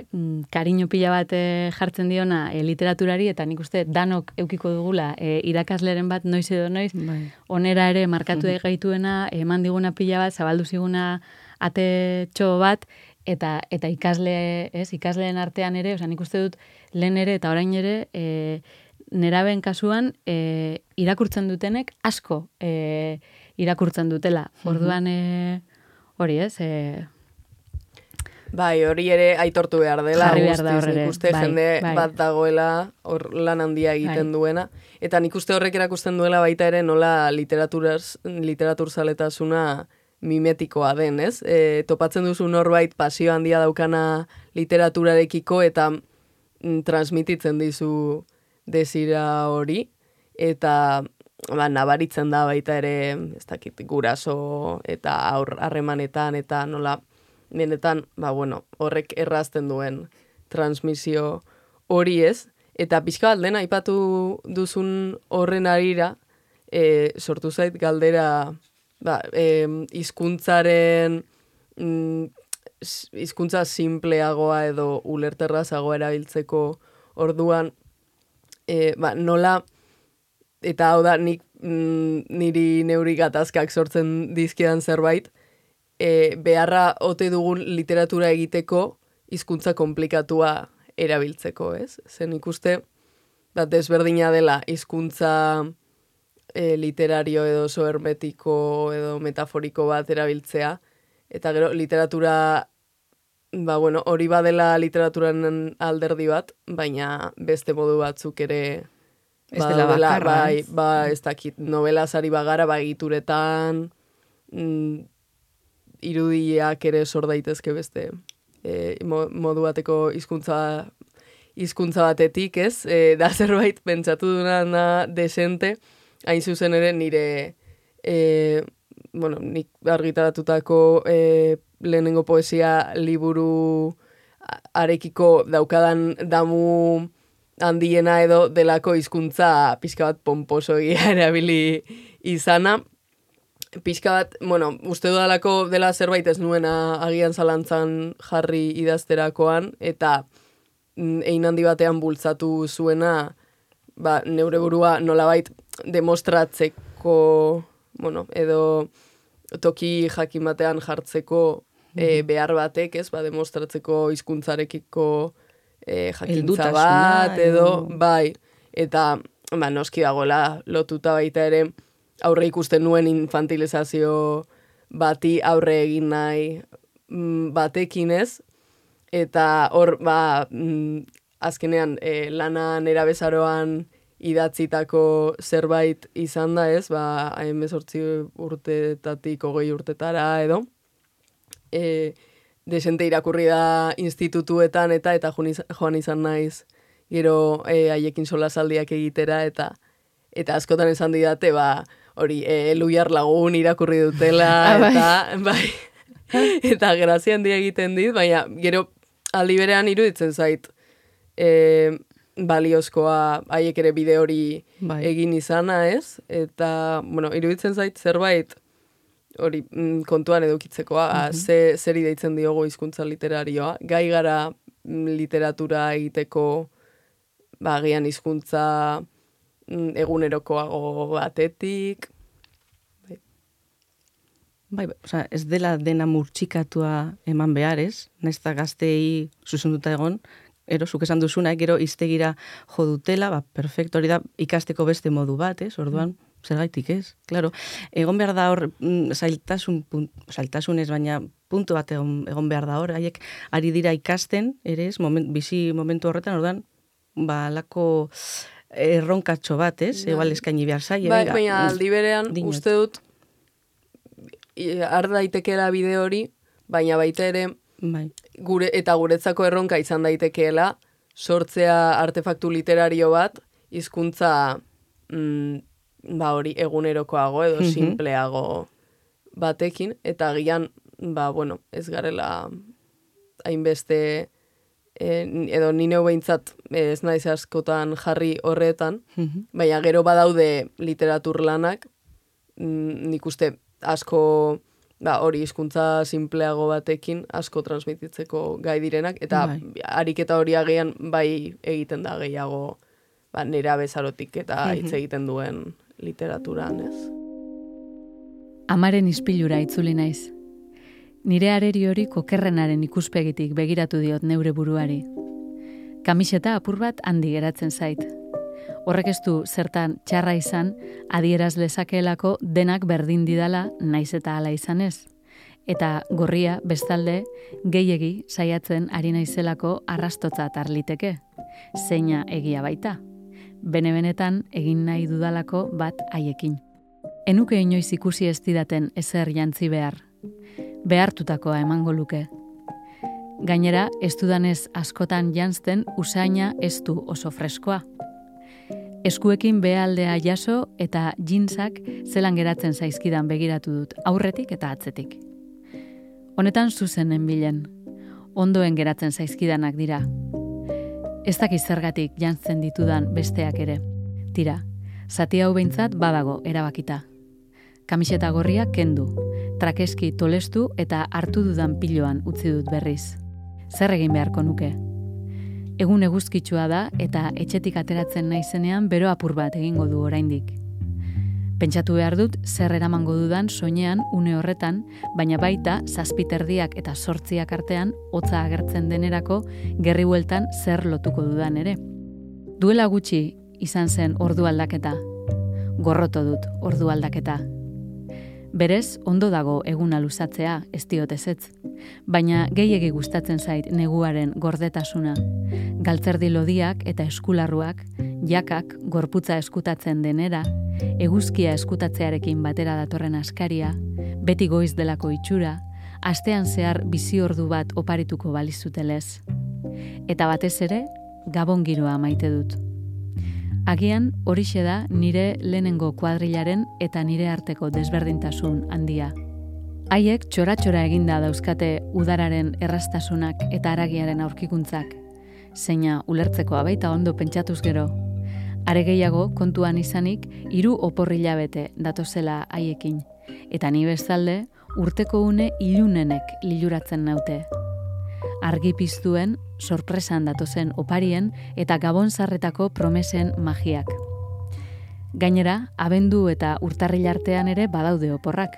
kariño pila bate jartzen diona e, literaturari, eta nik uste danok eukiko dugula e, irakasleren bat noiz edo noiz, Bai. onera ere markatu mm gaituena, eman diguna pila bat, zabaldu ziguna atetxo bat, eta eta ikasle, ez, ikasleen artean ere, osea, nik uste dut lehen ere eta orain ere, e, neraben kasuan e, irakurtzen dutenek asko e, irakurtzen dutela. Orduan e, hori, ez? E, Bai, hori ere aitortu behar dela, Jarri behar da guztiz, hor ere, nik uste bai, jende bai. bat dagoela hor lan handia egiten Bai. duena, eta nik uste horrek erakusten duela baita ere nola literaturaz, literaturzaletasuna mimetikoa den, ez? E, topatzen duzu norbait pasio handia daukana literaturarekiko eta mm, transmititzen dizu desira hori, eta ba, nabaritzen da baita ere, ez dakit, guraso eta aur harremanetan, eta nola, benetan, ba, bueno, horrek errazten duen transmisio hori ez, eta pixka bat lehen aipatu duzun horren arira, e, sortu zait galdera, ba, e, hizkuntzaren mm, hizkuntza simpleagoa edo ulerterrazagoa erabiltzeko orduan, e, ba, nola, eta hau da, nik mm, niri neuri gatazkak sortzen dizkidan zerbait, e, beharra ote dugun literatura egiteko hizkuntza komplikatua erabiltzeko, ez? Zen ikuste, da desberdina dela hizkuntza e, literario edo sohermetiko edo metaforiko bat erabiltzea, eta gero literatura, ba bueno, hori badela literaturaren alderdi bat, baina beste modu batzuk ere Ez dela bakarra, bai, ez? ba, ez dakit, novelaz ari bagara, ba, egituretan, mm, irudiak ere sor daitezke beste e, modu bateko hizkuntza hizkuntza batetik, ez? E, da zerbait pentsatu duna desente, hain zuzen ere nire e, bueno, nik argitaratutako e, lehenengo poesia liburu arekiko daukadan damu handiena edo delako hizkuntza pixka bat pomposoia erabili izana. Pixka bat, bueno, uste dudalako dela zerbait ez nuena agian zalantzan jarri idazterakoan, eta mm, ein handi batean bultzatu zuena, ba, neure burua nolabait demostratzeko, bueno, edo toki jakin batean jartzeko e, behar batek, ez, ba, demostratzeko hizkuntzarekiko e, jakintza bat, edo, bai, eta, ba, noski dagoela lotuta baita ere, aurre ikusten nuen infantilizazio bati aurre egin nahi mm, batekin ez, eta hor, ba, mm, azkenean e, lana nerabezaroan idatzitako zerbait izan da ez, ba, hemezortzi urtetatik hogei urtetara edo, e, desente irakurri da institutuetan eta eta joan izan naiz gero e, haiekin solasaldiak egitera, eta eta askotan esan didate, ba, hori, e, Luiar Lagun irakurri dutela, eta, bai, eta grazia handia egiten dit, baina gero aldi berean iruditzen zait, e, baliozkoa haiek ere bide hori Bai. egin izana, ez? Eta, bueno, iruditzen zait zerbait hori mm, kontuan edukitzekoa, mm -hmm. ze, zeri deitzen diogo hizkuntza literarioa, gai gara mm, literatura egiteko, ba, agian hizkuntza mm, egunerokoago batetik. Bai. Bai, osea, ez dela dena murtsikatua eman behar, ez? Naiz eta gaztei zuzenduta egon, ero, zuk esan duzuna, gero iztegira jo dutela, ba, perfecto, hori da ikasteko beste modu bat, ez? Orduan, zergaitik ez? Claro, egon behar da hor, mm, zailtasun, punt, zailtasun ez, baina puntu bat egon, egon behar da hor, haiek ari dira ikasten, ere ez, moment, bizi momentu horretan, orduan, ba, lako erronkatxo bat, ez? Bai. Egal eskaini behar zaie. Bai, venga, baina aldi berean, dinot. uste dut, i- har daitekeela bide hori, baina baita ere, Bai. gure eta guretzako erronka izan daitekeela sortzea artefaktu literario bat hizkuntza mm, ba hori egunerokoago edo Mhm. simpleago batekin, eta agian ba bueno, ez garela hainbeste e, edo nino behintzat ez naiz askotan jarri horretan, baina gero badaude literatur lanak, nik uste asko ba, hori hizkuntza simpleago batekin asko transmititzeko gai direnak, eta bai. Ariketa hori agian bai egiten da gehiago ba, nera bezarotik eta hitz egiten duen literaturan, ez? Amaren ispilura itzuli naiz. Nire areri hori kokerrenaren ikuspegitik begiratu diot neure buruari. Kamiseta apur bat handi geratzen zait. Horrek ez du zertan txarra izan, adieraz lezakeelako denak berdin didala naiz eta hala izanez. Eta gorria, bestalde, gehiegi saiatzen ari naizelako arrastotzat arliteke. Zeina egia baita. Bene-benetan egin nahi dudalako bat haiekin. Enuke inoiz ikusi ez didaten ezer jantzi behar. Behartutakoa emango luke. Gainera, ez dudanez askotan janzten usaina ez du oso freskoa. Eskuekin behaldea jaso eta jeansak zelan geratzen zaizkidan begiratu dut, aurretik eta atzetik. Honetan zuzenen bilen, ondoen geratzen zaizkidanak dira. Ez dakiz zergatik jantzen ditudan besteak ere. Tira, zati hau behintzat badago erabakita. Kamiseta gorria kendu, trakeski tolestu eta hartu dudan piloan utzi dut berriz. Zer egin beharko nuke? Egun eguzkitsua da eta etxetik ateratzen naizenean bero apur bat egingo du oraindik. Pentsatu behar dut zer eramango dudan soinean une horretan, baina baita zazpiterdiak eta sortziak artean hotza agertzen denerako gerri bueltan zer lotuko dudan ere. Duela gutxi izan zen ordu aldaketa. Gorroto dut ordu aldaketa. Berez, ondo dago eguna luzatzea, ez diot ezetz. Baina gehiegi gustatzen zait neguaren gordetasuna. Galtzerdi lodiak eta eskularruak, jakak gorputza eskutatzen denera, eguzkia eskutatzearekin batera datorren askaria, beti goiz delako itxura, astean zehar bizi ordu bat oparituko balizutelez. Eta batez ere, gabon giroa maite dut. Agian horixe da nire lehenengo kuadrilaren eta nire arteko desberdintasun handia. Haiek txora-txora eginda dauzkate udararen errastasunak eta haragiaren aurkikuntzak, zeina ulertzekoa baita ondo pentsatuz gero. Are gehiago kontuan izanik hiru oporrilabete datozela haiekin, eta ni bezalde urteko une ilunenek liluratzen naute. Argi piztuen, sorpresan datozen oparien eta gabonzarretako promesen magiak. Gainera, abendu eta urtarril artean ere badaude oporrak.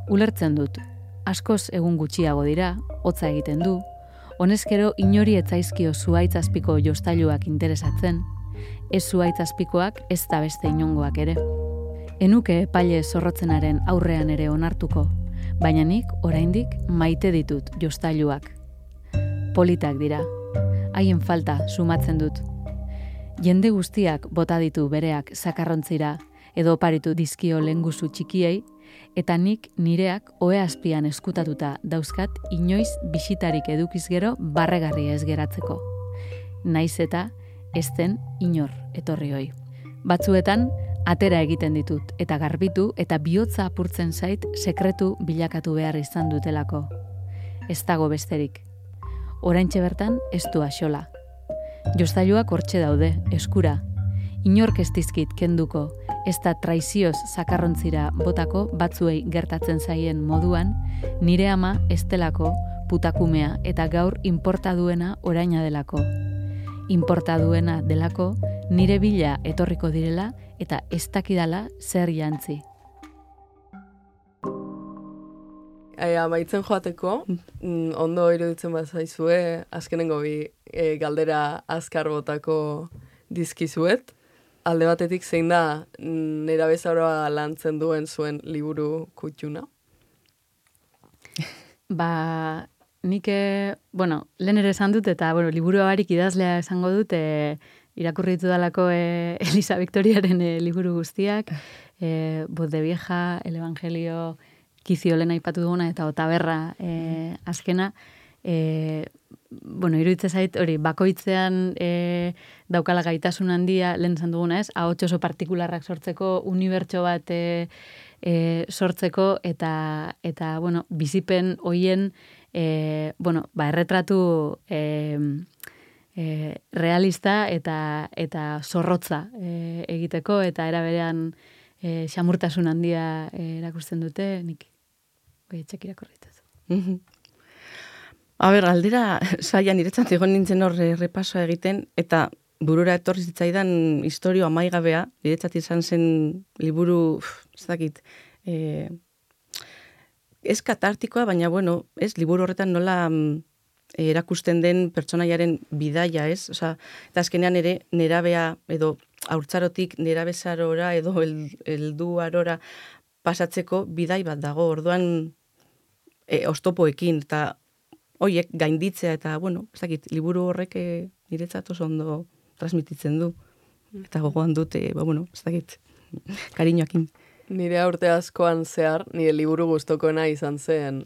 Ulertzen dut, askoz egun gutxiago dira, hotza egiten du, honezkero inori etzaizkio zuaitzazpiko jostailuak interesatzen, ez zuaitzazpikoak ez da beste inongoak ere. Enuke epaile zorrotzenaren aurrean ere onartuko, baina nik oraindik maite ditut jostailuak. Politak dira, haien falta sumatzen dut. Jende guztiak bota ditu bereak zakarrontzira edo oparitu dizkio lenguzu txikiei, eta nik nireak ohe azpian eskutatuta dauzkat inoiz bisitarik edukiz gero barregarri ez geratzeko. Naiz eta ez den inor etorri hoi. Batzuetan atera egiten ditut eta garbitu eta bihotza apurtzen zait sekretu bilakatu behar izan dutelako. Ez dago besterik. Oraintxe bertan ez du axola. Jostailuak hortxe daude, eskura. Inork ez dizkit kenduko, ez da traizioz zakarrontzira botako batzuei gertatzen zaien moduan, nire ama estelako, putakumea eta gaur inporta duena oraina delako. Inporta duena delako nire bila etorriko direla eta ez dakidala zer jantzi. E, amaitzen joateko, mm, ondo iruditzen bazaizue, azkenengo bi e, galdera azkar botako dizkizuet. Alde batetik zein da nera bezaroa lantzen duen zuen liburu kutxuna? Ba, nik, bueno, lehen ere esan dut, eta bueno, liburu barik idazlea esango dut, e, irakurri ditudalako e, Elisa Victoriaren e, liburu guztiak, e, Voz de Vieja, El Evangelio, Kizio lehen aipatu duguna, eta Otaberra e, azkena, e, bueno, iruditzen zait, hori, bakoitzean e, daukala gaitasun handia, lehen zan duguna ez, ahots oso partikularrak sortzeko, unibertso bat e, e, sortzeko, eta, eta bueno, bizipen hoien e, bueno, ba, erretratu e, e, realista eta eta zorrotza e, egiteko, eta era berean e, xamurtasun handia e, erakusten dute, nik bai etxek irakorritaz. A ber, aldera, saia niretzat egon nintzen hor repasoa egiten, eta burura etorri zitzaidan historio amaigabea, niretzat izan zen liburu, ez dakit, e, ez katartikoa, baina bueno, ez, liburu horretan nola erakusten den pertsonaiaren bidaia, ez? Osea, eta azkenean ere nerabea edo haurtzarotik nerabezarora edo helduarora pasatzeko bidai bat dago. Orduan e, oztopoekin eta hoiek gainditzea eta bueno, ez dakit, liburu horrek e, niretzat oso ondo transmititzen du. Eta gogoan dute, ba bueno, ez dakit, kariñoakin. Nire urte askoan zehar, nire liburu gustokoena izan zen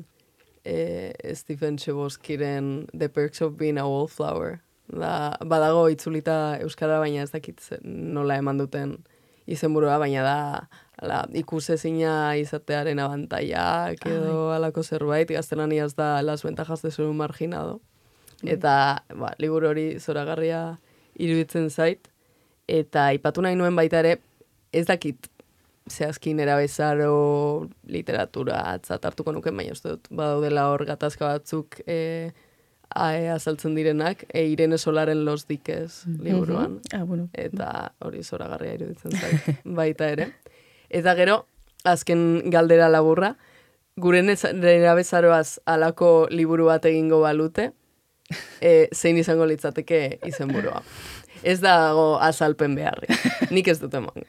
eh, Stephen Chboskyren The Perks of Being a Wallflower. Da, badago itzulita euskara, baina ez dakit nola eman duten izenburua, baina da ala, ikusezina izatearen abantaiak edo alako zerbait, gaztelaniaz da Las ventajas de ser un marginado. Eta ba, liburu hori zoragarria iruditzen zait, eta aipatu nahi nuen baita ere, ez dakit zehazkin erabezaro literatura atzat hartuko nuken, baina uste dut badaudela hor gatazka batzuk e, azaltzen direnak, e, Irene Solaren Los Diques liburuan. Ah, bueno. Eta hori zoragarria iruditzen zait baita ere. Eta gero, azken galdera laburra, gure erabezaroaz alako liburu bat egingo balute, e, zein izango litzateke izenburua. Ez dago azalpen beharri. Nik ez dut emango.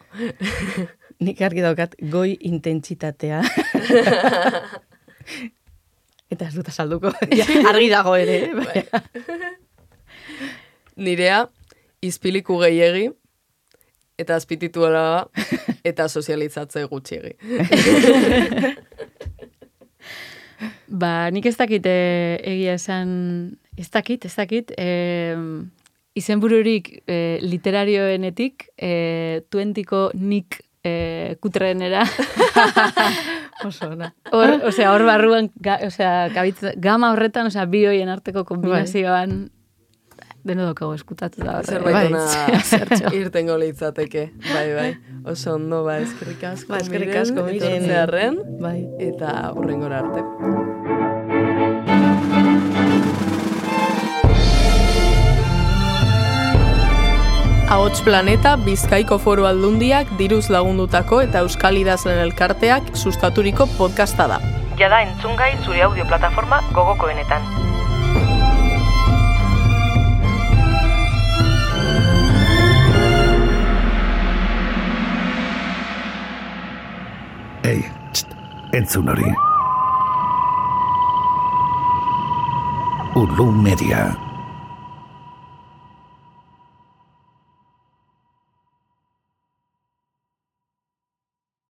Nik argi daukat goi intentsitatea. Eta ez dut azalduko. Argi dago ere. Bai. Nirea, izpiliku gehiegi, eta azpitituara eta sozializatze gutxiegi. Ba, nik ez dakit e, egia esan, ez dakit, ez dakit, e, izenbururik e, literarioenetik, e, tuentiko nik e, kutrenera. Oso, na. Hor, osea, hor barruan, ga, osea, kabitz, gama horretan, osea, bi hoien arteko kombinazioan, deno dokago eskutatu da horre. Zerbaitona irtengo litzateke, bai, bai. Oso ondo, ba, eskerrik asko, ba, eskerrik asko, miren, etortzearren, bai. Eta hurrengora arte. Ahots Planeta Bizkaiko Foru Aldundiak diruz lagundutako eta Euskal Idazlen Elkarteak sustaturiko podcasta da. Jada entzungai zure audio plataforma gogokoenetan. Ei, txt, entzun hori. Ulu Media.